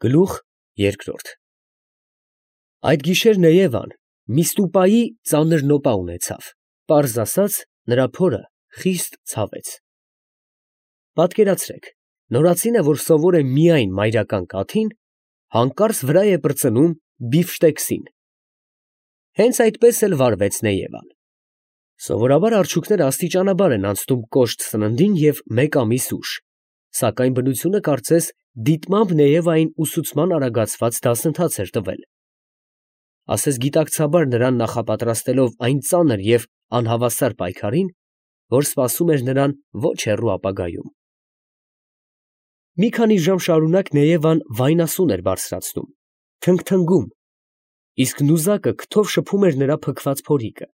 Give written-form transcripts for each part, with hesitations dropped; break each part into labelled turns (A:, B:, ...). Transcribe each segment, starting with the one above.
A: Գլուխ երկրորդ։ Այդ գիշեր Նեևան մի ստուպայի ծանր նոպա ունեցավ, պարզ ասած, նրա փորը խիստ ցավեց։ Պատկերացրեք, նորածինը, որ սովոր է միայն մայրական կաթին, հանկարծ վրա է պրծնում բիֆշտեքսին։ Հենց այդպես էլ վարվեց Նեևան։ Սովորաբար արջուկները աստիճանաբար են անցնում կոշտ սննդին և մեկ ամիս ուշ, սակայն բնությունը կարծես դիտմամբ Նեևային ուսուցման արագացված դասընթաց էր տվել, ասես գիտակցաբար նրան նախապատրաստելով այն ծանր և անհավասար պայքարին, որ սպասում էր նրան ոչ հեռու ապագայում։ Մի քանի ժամ շարունակ Նեևան վայնասուն էր բարձրացնում, թնգթնգում, իսկ նուզակը քթով շփում էր նրա փքված փորիկը։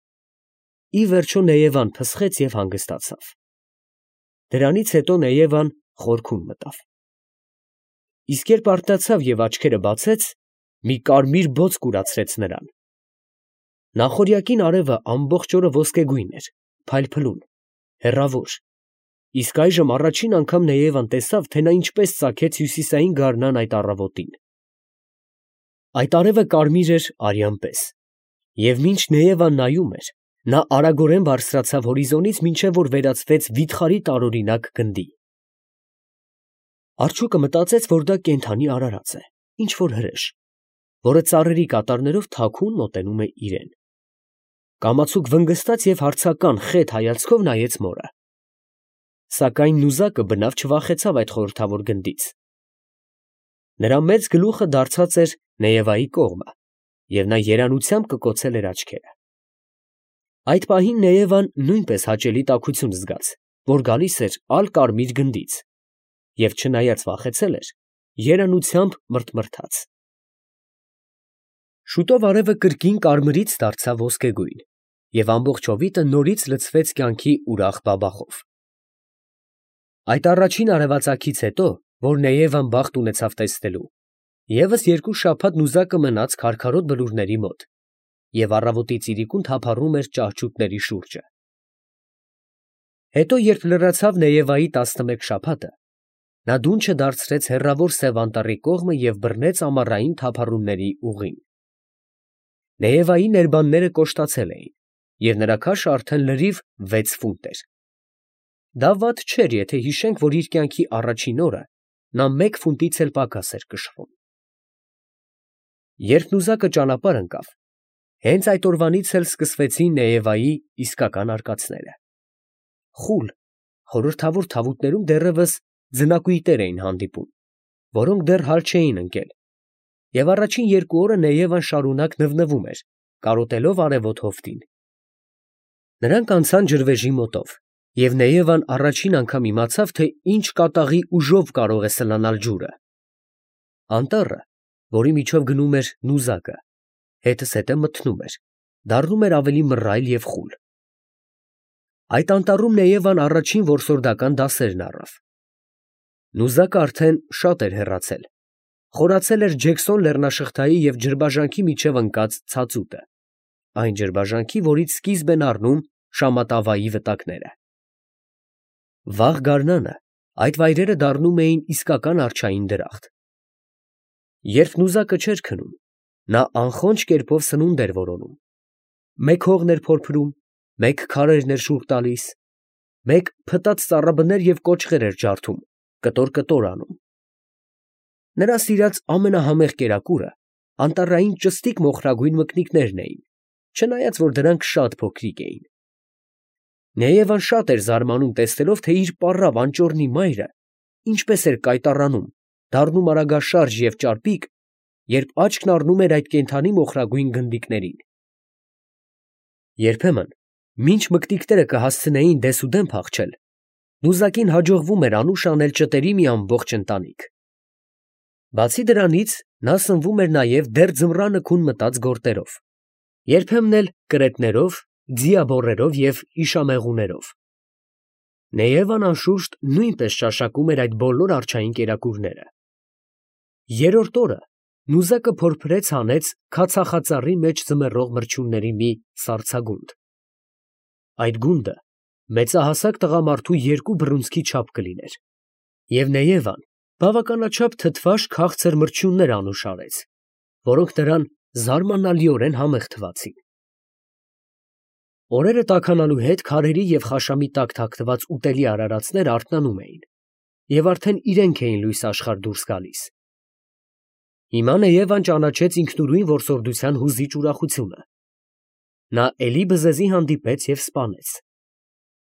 A: Ի վերջո Նեևան փսխեց և հանգստացավ։ Դրանից հետո Նեևան խորքում մտավ։ Իսկ երբ արթնացավ և աչքերը բացեց, մի կարմիր բոց կուրացրեց նրան։ Նախօրյակին արևը ամբողջ օրը ոսկեգույն էր, փայլփլուն, հեռավոր, իսկ այժմ առաջին անգամ Նեևան տեսավ, թե նա ինչպես ծագեց հյուսիսային գարնան այդ առավոտին։ Այդ արևը կարմիր էր արյան պես, և մինչ Նեևան նայում էր, նա արագորեն բարձրացավ հորիզոնից, մինչև որ վերածվեց վիթխարի տարօրինակ գնդի։ Արջուկը մտածեց, որ դա կենդանի արարած է, ինչ֊որ հրեշ, որը ծառերի կատարներով թաքուն մոտենում է իրեն։ Կամացուկ վնգստաց և հարցական խետ հայացքով նայեց մորը։ Սակայն նուզակը բնավ չվախեցավ այդ խորհրդավոր գնդից։ Նրա մեծ գլուխը դարձած էր Նեևայի կողմը, և նա երանությամբ կկոցել էր աչքերը։ Այդ պահին Նեևան նույնպես հաճելի տաքություն զգաց, որ գալիս էր ալ֊կարմիր գնդից, և չնայած վախեցել էր, երանությամբ մրթմրթաց։ Շուտով արևը կրկին կարմրից դարձավ ոսկեգույն, և ամբողջ հովիտը նորից լցվեց կյանքի ուրախ բաբախով։ Այդ առաջին արևածագից հետո, որ Նեևան բախտ ունեցավ տեսնելու, ևս 2 շաբաթ նուզակը մնաց քարքարոտ բլուրների մոտ, և առավոտից իրիկուն թափառում էր ճահճուտների շուրջը։ Հետո, երբ լրացավ Նեևայի 11 շաբաթը, նա դունչը դարձրեց հեռավոր Սև Անտառի կողմը և բռնեց ամառային թափառումների ուղին։ Նեևայի ներբանները կոշտացել էին, և նրա քաշը արդեն լրիվ 6 ֆունտ էր։ Դա վատ չէր, եթե հիշենք, որ իր կյանքի առաջին օրը նա 1 ֆունտից էլ պակաս էր կշռում։ Երբ նուզակը ճանապարհ ընկավ, հենց այդ օրվանից էլ սկսվեցին Նեևայի իսկական արկածները։ Խուլ, խորհրդավոր թավուտներում դեռևս ձնակույտեր էին հանդիպում, որոնք դեռ հալ չէին ընկել, և առաջին 2 օրը Նեևան շարունակ նվնվում էր, կարոտելով արևոտ հովտին։ Նրանք անցան ջրվեժի մոտով, և Նեևան առաջին անգամ իմացավ, թե ինչ կատաղի ուժով կարող է սլանալ ջուրը։ Անտառը, որի միջով գնում էր նուզակը, հետզհետե մթնում էր, դառնում էր ավելի մռայլ և խուլ։ Այդ անտառում Նեևան առաջին որսորդական դասերն առավ։ Նուզակը արդեն շատ էր հեռացել, խորացել էր Ջեքսոն լեռնաշղթայի և ջրբաժանքի միջև ընկած ցածուտը, այն ջրբաժանքի, որից սկիզբ են առնում Շամատավայի վտակները։ Վաղ գարնանը այդ վայրերը դառնում էին իսկական արջային դրախտ։ Երբ նուզակը չէր քնում, նա անխոնջ կերպով սնունդ էր որոնում. մեկ հողն էր փորփրում, մեկ քարերն էր շուռ տալիս, մեկ փտած ծառաբներ և կոճղեր էր ջարդում, կտոր անում։ Նրա սիրած ամենահամեղ կերակուրը անտառային ճստիկ մոխրագույն մկնիկներն էին, չնայած որ դրանք շատ փոքրիկ էին։ Նեևան շատ էր զարմանում տեսնելով, թե իր պառավ անճոռնի մայրը ինչպես էր կայտառանում, դառնում արագաշարժ և ճարպիկ, երբ աչքն առնում էր այդ կենդանի մոխրագույն գնդիկներին։ Երբեմն, մինչ մկնիկները կհասցնեին դեսուդեն փախչել, նուզակին հաջողվում էր անուշ անել ճտերի մի ամբողջ ընտանիք։ Բացի դրանից, նա սնվում էր նաև դեռ ձմռանը քուն մտած գորտերով, երբեմն էլ կրետներով, ձիաբոռերով և իշամեղուներով։ Նեևան անշուշտ նույնպես ճաշակում էր այդ բոլոր արջային կերակուրները։ Երրորդ օրը նուզակը փորփրեց հանեց քացախածառի մեջ ձմեռող մրջյունների մի սառցագունդ։ Այդ գունդը մեծահասակ տղամարդու 2 բռունցքի չափ կլիներ, և Նեևան Բավականաչափ թթվաշ քաղցր մրջյուններ անուշարեց, որոնք նրան զարմանալիորեն համեղ թվացին։ Օրերը տաքանալու հետ քարերի և խաշամի տակ թաքնված ուտելի արարածները արթնանում էին և արդեն իրենք էին լույս աշխարհ դուրս գալիս։ Հիմա Նեևան ճանաչեց ինքնուրույն որսորդության հուզիչ ուրախությունը։ Նա էլի բզեզի հանդիպեց և սպանեց։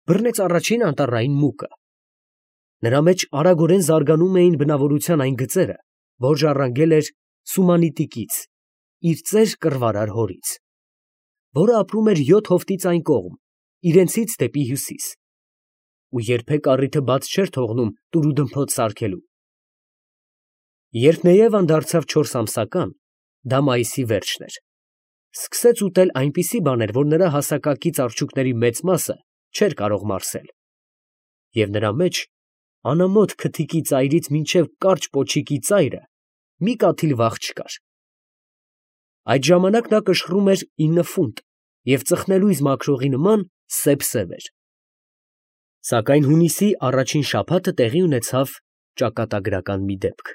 A: Բռնեց առաջին անտառային մուկը։ Նրա մեջ արագորեն զարգանում էին բնավորության այն գծերը, որ ժառանգել էր Սումանիտիկից, իր ծեր կռվարար հորից, որը ապրում էր 7 հովտից այն կողմ, իրենցից դեպի հյուսիս, ու երբեք առիթը բաց չէր թողնում տուրուդմփոց սարքելու։ Երբ Նեևան դարձավ 4 ամսական, դա մայիսի վերջն էր, սկսեց ուտել այնպիսի բաներ, որ նրա հասակակից արջուկների մեծ մասը չէր կարող մարսել, և նրա մեջ անամոթ քթիկի ծայրից մինչև կարճ պոչիկի ծայրը մի կաթիլ վաղ չկար։ Այդ ժամանակ նա կշռում էր 9 ֆունտ և ծխնելույզ մաքրողի նման սև էր։ Սակայն հունիսի առաջին շաբաթը տեղի ունեցավ ճակատագրական մի դեպք,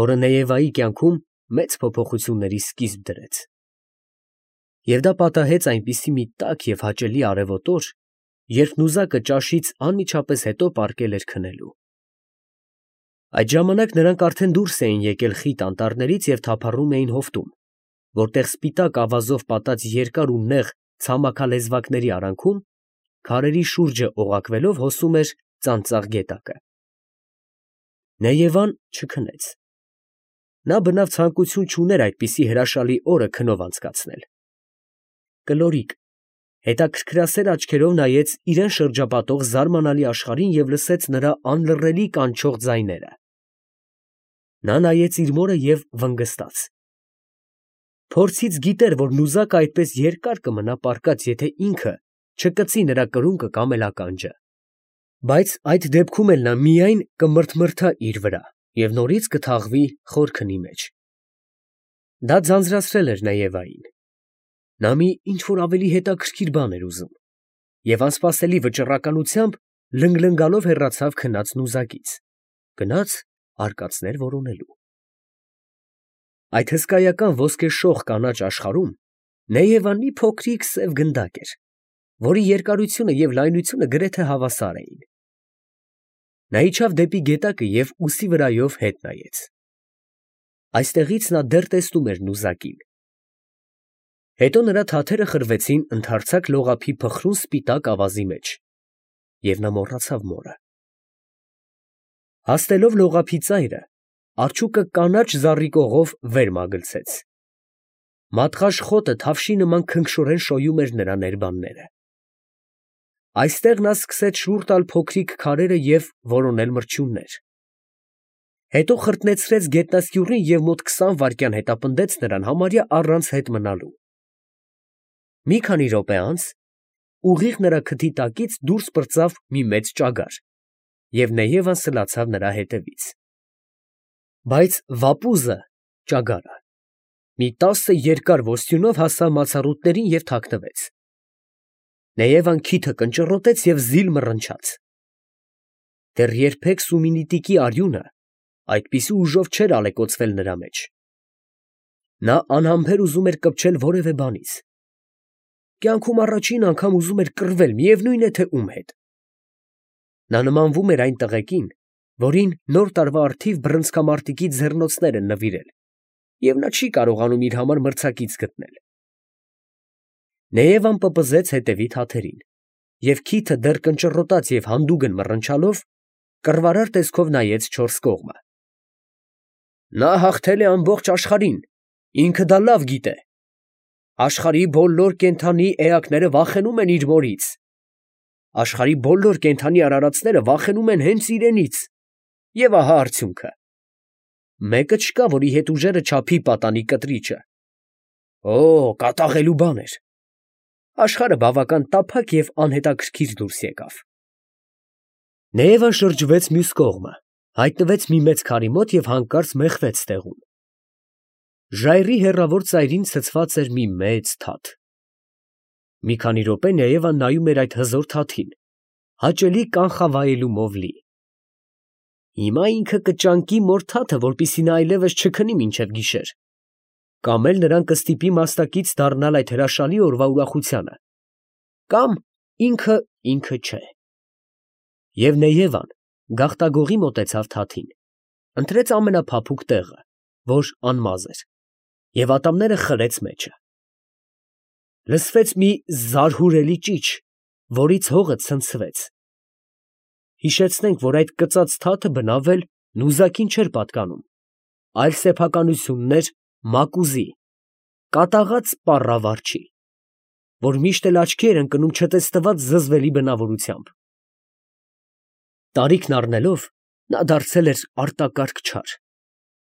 A: որը Նեևայի կյանքում մեծ փոփոխությունների սկիզբ դրեց։ Եվ դա պատահեց այնպիսի մի տաք և հաճելի արևոտ օր, երբ նուզակը ճաշից անմիջապես հետո պառկել էր քնելու։ Այդ ժամանակ նրանք արդեն դուրս էին եկել խիտ անտառներից և թափառում էին հովտում, որտեղ սպիտակ ավազով պատած երկար ու նեղ ցամաքալեզվակների արանքում քարերի շուրջը օղակվելով հոսում էր ծանծաղ գետակը։ Նեևան չքնեց։ Նա բնավ ցանկություն չուներ այդպիսի հրաշալի օրը քնով անցկացնել։ Կլորիկ հետաքրքրասեր աչքերով նայեց իրան շրջապատող զարմանալի աշխարհին և լսեց նրա անլռելի կանչող ձայները։ Նա նայեց իր մորը և վնգստաց։ Փորձից գիտեր, որ նուզակը այդպես երկար կմնա պառկած, եթե ինքը չկծի նրա կրունկը կամ էլ ականջը։ Բայց այդ դեպքում էլ նա միայն կմրթմրթա իր վրա և նորից կթաղվի խոր քնի մեջ։ Դա ձանձրացրել էր Նեևային։ Նա մի ինչ֊որ ավելի հետաքրքիր բան էր ուզում և անսպասելի վճռականությամբ լնգլնգալով հեռացավ քնած նուզակից, գնաց արկածներ որոնելու։ Այդ հսկայական ոսկեշող կանաչ աշխարհում Նեևան մի փոքրիկ սև գնդակ էր, որի երկարությունը և լայնությունը գրեթե հավասար էին։ Նա իջավ դեպի գետակը և ուսի վրայով հետ նայեց։ Այստեղից նա դեռ տեսնում էր նուզակին։ Հետո նրա թաթերը խրվեցին ընդարձակ լողափի փխրուն սպիտակ ավազի մեջ, և նա մոռացավ մորը։ Հասնելով լողափի ծայրը, արջուկը կանաչ զառիկողով վեր մագլցեց։ Մատղաշ խոտը թավշի նման քնքշորեն շոյում էր նրա ներբանները։ Այստեղ նա սկսեց շուռ տալ փոքրիկ քարերը և որոնել մրջյուններ։ Հետո խրտնեցրեց գետնասկյուռին և մոտ 20 վայրկյան հետապնդեց նրան համարյա առանց հետ մնալու։ Մի քանի րոպե անց ուղիղ նրա քթի տակից դուրս պրծավ մի մեծ ճագար, և Նեևան սլացավ նրա հետևից։ Բայց վապուզը (ճագարը) մի 10 երկար ոսյունով հասավ մացառուտներին և թաքնվեց։ Նեևան քիթը կնճռոտեց և զիլ մռնչաց։ Դեռ երբեք Սումինիտիկի արյունը այդպիսի ուժով չէր ալեկոծվել նրա մեջ։ Նա անհամբեր ուզում էր կպչել որևէ բանից։ Կյանքում առաջին անգամ ուզում էր կռվել, միևնույն է թե ում հետ։ Նա նմանվում էր այն տղեկին, որին նոր տարվա առթիվ բռնցքամարտիկի ձեռնոցներ են նվիրել, և նա չի կարողանում իր համար մրցակից գտնել։ Նեևան պպզեց հետևի թաթերին, և քիթը դեռ կնճռոտած և հանդուգն մռնչալով, կռվարար տեսքով նայեց չորս կողմը։ Նա հաղթել է ամբողջ աշխարհին, ինքը դա լավ գիտե։ Աշխարհի բոլոր կենդանի էակները վախենում են իր մորից։ Աշխարհի բոլոր կենդանի արարածները վախենում են հենց իրենից։ Եվ ահա արդյունքը. մեկը չկա, որի հետ ուժերը չափի պատանի կտրիճը։ Օ, կատաղելու բան էր։ Աշխարհը բավական տափակ և անհետաքրքիր դուրս եկավ։ Նեևան շրջվեց մյուս կողմը, հայտնվեց մի մեծ քարի մոտ և հանկարծ մեխվեց տեղում։ Ժայռի հեռավոր ծայրին ցցված էր մի մեծ թաթ։ Մի քանի րոպե Նեևան նայում էր այդ հզոր թաթին, հաճելի կանխավայելումով լի։ Հիմա ինքը կճանկի մոր թաթը, որպեսզի նա այլևս չքնի մինչև գիշեր, կամ էլ նրան կստիպի մասնակից դառնալ այդ հրաշալի օրվա ուրախությանը, կամ ինքը չէ։ Եվ Նեևան գաղտագողի մոտեցավ թաթին, ընտրեց ամենափափուկ տեղը, որ անմազ էր, և ատամները խրեց մեջը։ Լսվեց մի զարհուրելի ճիչ, որից հողը ցնցվեց։ Հիշեցնենք, որ այդ կծած թաթը բնավ էլ նուզակին չէր պատկանում, այլ սեփականությունն էր մակուզի, կատաղած պառավարչի, որ միշտ էլ աչքի էր ընկնում չտեսնված զզվելի բնավորությամբ։ Տարիքն առնելով, նա դարձել էր արտակարգ չար,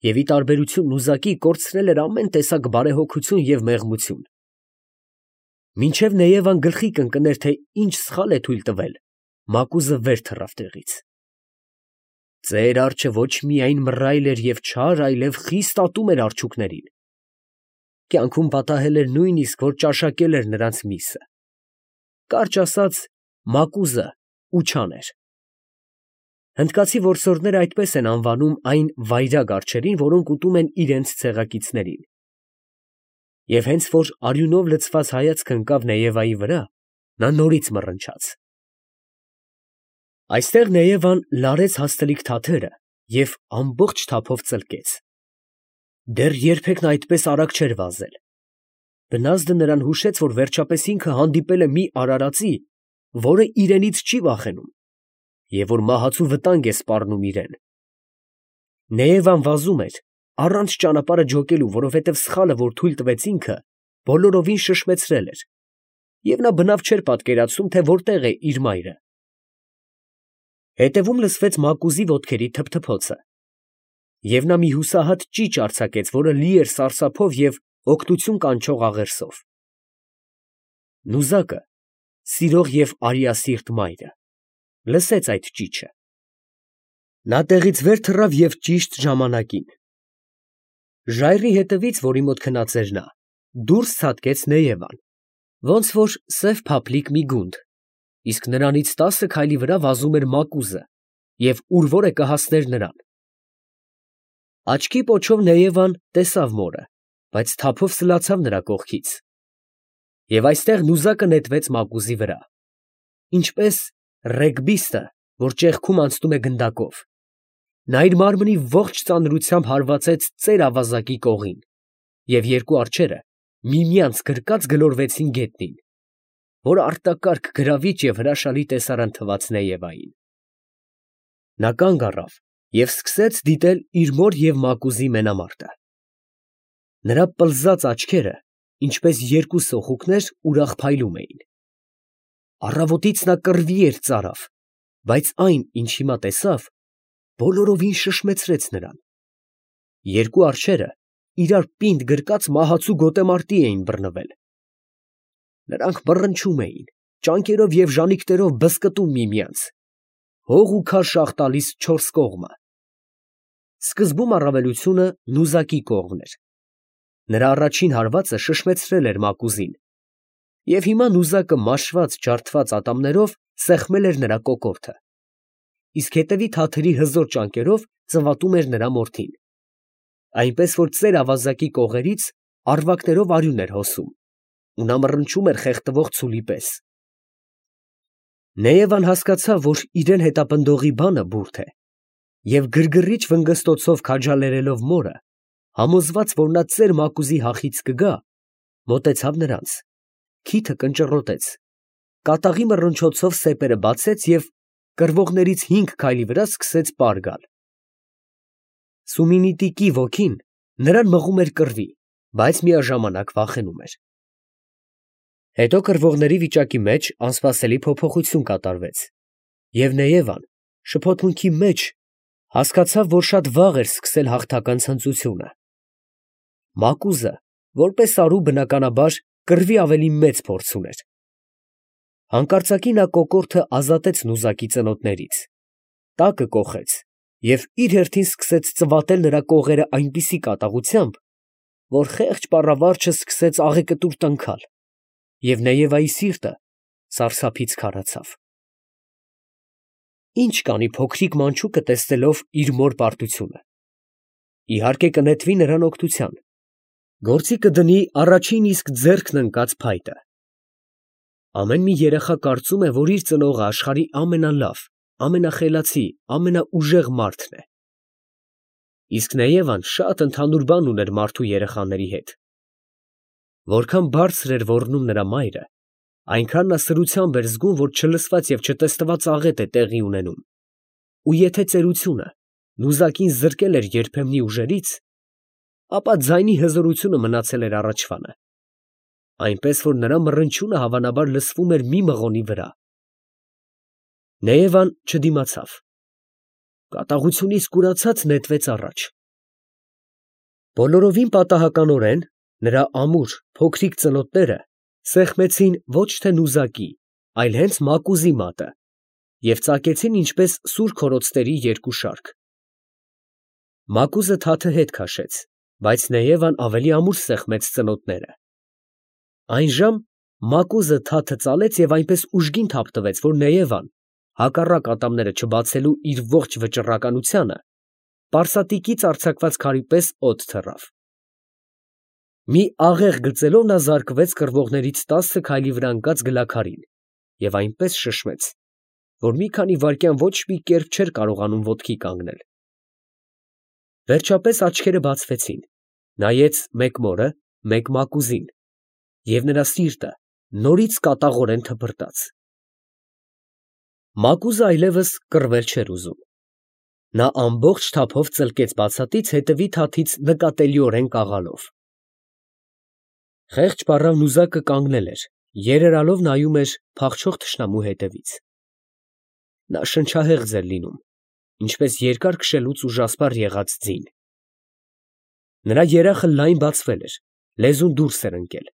A: և ի տարբերություն նուզակի կորցրել էր ամեն տեսակ բարեհոգություն և մեղմություն։ Մինչև Նեևան գլխի կընկներ, թե ինչ սխալ է թույլ տվել, մակուզը վեր թռավ տեղից։ Ծեր արջը ոչ միայն մռայլ էր և չար, այլև խիստ ատում էր արջուկներին։ Կյանքում պատահել էր նույնիսկ, որ ճաշակել էր նրանց միսը։ Կարճ ասած, մակուզը ուչան էր։ Հնդկացի որսորդները այդպես են անվանում այն վայրագ արջերին, որոնք ուտում են իրենց ցեղակիցներին։ Եվ հենց որ արյունով լցված հայացքը ընկավ Նեևայի վրա, նա նորից մռնչաց։ Այստեղ Նեևան լարեց հաստլիկ թաթերը և ամբողջ թափով ծլկեց։ Դեռ երբեք նա այդպես արագ չէր վազել։ Բնազդը նրան հուշեց, որ վերջապես ինքը հանդիպել է մի արարածի, որը իրենից չի վախենում, և որ մահացու վտանգ է սպառնում իրան։ Նեևան վազում էր, առանց ճանապարհը ջոկելու, որովհետև սխալը, որ թույլ տվեց ինքը, բոլորովին շշմեցրել էր, և նա բնավ չէր պատկերացնում, թե որտեղ է իր մայրը։ Հետևում լսվեց մակուզի ոտքերի թփթփոցը, և նա մի հուսահատ ճիչ արձակեց, որը լի էր սարսափով և օգնություն կանչող աղերսով։ Նուզակը, սիրող և արիասիրտ մայրը, լսեց այդ ճիչը։ Նա տեղից վեր թռավ և ճիշտ ժամանակին։ Ժայռի հետևից, որի մոտ քնած էր նա, դուրս ցատկեց Նեևան, ոնց որ սև փափլիկ մի գունդ, իսկ նրանից 10 քայլի վրա վազում էր մակուզը և ուր որ է կհասներ նրան։ Աչքի պոչով Նեևան տեսավ մորը, բայց թափով սլացավ նրա կողքից։ Եվ այստեղ նուզակը նետվեց մակուզի վրա, ինչպես ռեգբիստը, որ ճեղքում անցնում է գնդակով։ Նա իր մարմնի ողջ ծանրությամբ հարվածեց ծեր ավազակի կողին, և երկու արջերը միմյանց գրկած գլորվեցին գետնին, որ արտակարգ գրավիչ և հրաշալի տեսարան թվաց Նեևային։ Նա կանգ առավ և սկսեց դիտել իր մոր և մակուզի մենամարտը։ Նրա պլզած աչքերը, ինչպես երկու սոխուկներ, ուրախ փայլում էին։ Առավոտից նա կռվի էր ծարավ, բայց այն, ինչ հիմա տեսավ, բոլորովին շշմեցրեց նրան։ Երկու արջերը իրար պինդ գրկած մահացու գոտեմարտի էին բռնվել։ Նրանք մռնչում էին, ճանկերով և ժանիքներով բզկտում միմյանց, հող ու քաշ տալիս չորս կողմը։ Սկզբում առավելությունը նուզակի կողմն էր։ Նրա առաջին հարվածը շշմեցրել էր մակուզին, և հիմա նուզակը մաշված, ջարդված ատամներով սեղմել էր նրա կոկորդը, իսկ հետևի թաթերի հզոր ճանկերով ծվատում էր նրա մորթին, այնպես որ ծեր ավազակի կողերից առվակներով արյուն էր հոսում, ու նա մռնչում էր խեղդվող ցուլի պես։ Նեևան հասկացավ, որ իրան հետապնդողի բանը բուրդ է, և գրգռիչ վնգստոցով քաջալերելով մորը, համոզված, որ նա ծեր մակուզի հախից կգա, մոտեցավ նրանց, քիթը կնճռոտեց, կատաղի մռնչոցով սեպերը բացեց և կռվողներից 5 քայլի վրա սկսեց պար գալ։ Սումինիտիկի ոգին նրան մղում էր կռվի, բայց միաժամանակ վախենում էր։ Հետո կռվողների վիճակի մեջ անսպասելի փոփոխություն կատարվեց, և Նեևան շփոթմունքի մեջ հասկացավ, որ շատ վաղ էր սկսել հաղթական ցնծությունը։ Մակուզը, որպես արու, բնականաբար, կռվի ավելի մեծ փորձ ուներ։ Հանկարծակի նա կոկորդը ազատեց նուզակի ծնոտներից, տակը կոխեց և իր հերթին սկսեց ծվատել նրա կողերը այնպիսի կատաղությամբ, որ խեղճ պառավարջը սկսեց աղեկտուր տնքալ, և Նեևայի սիրտը սարսափից քարացավ։ Ինչ կանի փոքրիկ մանչուկը տեսնելով իր մոր պարտությունը։ Իհարկե կնետվի նրան օգնության, գործի կդնի առաջին իսկ ձեռքն ընկած փայտը։ Ամեն մի երեխա կարծում է, որ իր ծնողը աշխարհի ամենալավ, ամենախելացի, ամենաուժեղ մարդն է։ Իսկ Նեևան շատ ընդհանուր բան ուներ մարդու երեխաների հետ։ Որքան բարձր էր ոռնում նրա մայրը, այնքան նա սրությամբ էր զգում, որ չլսված և չտեսնված աղետ է տեղի ունենում, ու եթե ծերությունը նուզակին զրկել էր երբեմնի ուժերից, ապա ձայնի հզորությունը մնացել էր առաջվանը, այնպես որ նրա մռնչյունը հավանաբար լսվում էր մի մղոնի վրա։ Նեևան չդիմացավ, կատաղությունից կուրացած նետվեց առաջ։ Բոլորովին պատահականորեն նրա ամուր փոքրիկ ծնոտները սեղմեցին ոչ թե նուզակի, այլ հենց մակուզի մատը և ծակեցին ինչպես սուր քորոցների երկու շարք։ Մակուզը թաթը հետ քաշեց, բայց Նեևան ավելի ամուր սեղմեց ծնոտները։ Այն ժամ մակուզը թաթը ծալեց և այնպես ուժգին թափ տվեց, որ Նեևան, հակառակ ատամները չբացելու իր ողջ վճռականությանը, պարսատիկից արձակված քարի պես օդ թռավ։ Մի աղեղ գծելով նա զարկվեց կռվողներից 10 քայլի վրա ընկած գլաքարին և այնպես շշմեց, որ մի քանի վայրկյան ոչ մի կերպ չէր կարողանում ոտքի կանգնել։ Վերջապես աչքերը բացվեցին, նայեց մեկ մորը, մեկ մակուզին, և նրա սիրտը նորից կատաղորեն թպրտաց։ Մակուզը այլևս կռվել չէր ուզում։ Նա ամբողջ թափով ծլկեց բացատից, հետևի թաթից նկատելիորեն կաղալով։ Խեղճ պառավ նուզակը կանգնել էր, երերալով նայում էր փախչող թշնամու հետևից։ Նա շնչահեղձ էր լինում, ինչպես երկար քշելուց ուժասպառ եղած ձին։ Նրա երախը լայն բացվել էր, լեզուն դուրս էր ընկել։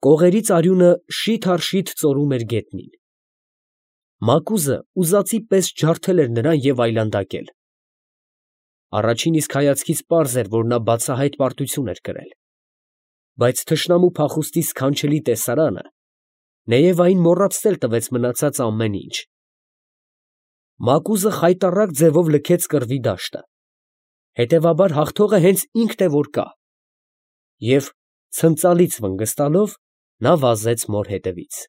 A: Կողերից արյունը շիթ առ շիթ ծորում էր գետնին։ Մակուզը ուզածի պես ջարդել էր նրան և այլանդակել։ Առաջին իսկ հայացքից պարզ էր, որ նա բացահայտ պարտություն էր կրել։ Բայց թշնամու փախուստի սքանչելի տեսարանը Նեևային մոռացնել տվեց մնացած ամեն ինչ։ Մակուզը խայտառակ ձևով լքեց կռվի դաշտը։ Հետևաբար հաղթողը հենց ինքն է որ կա։ Եվ ցնծալից վնգստալով նա վազեց մոր հետևից։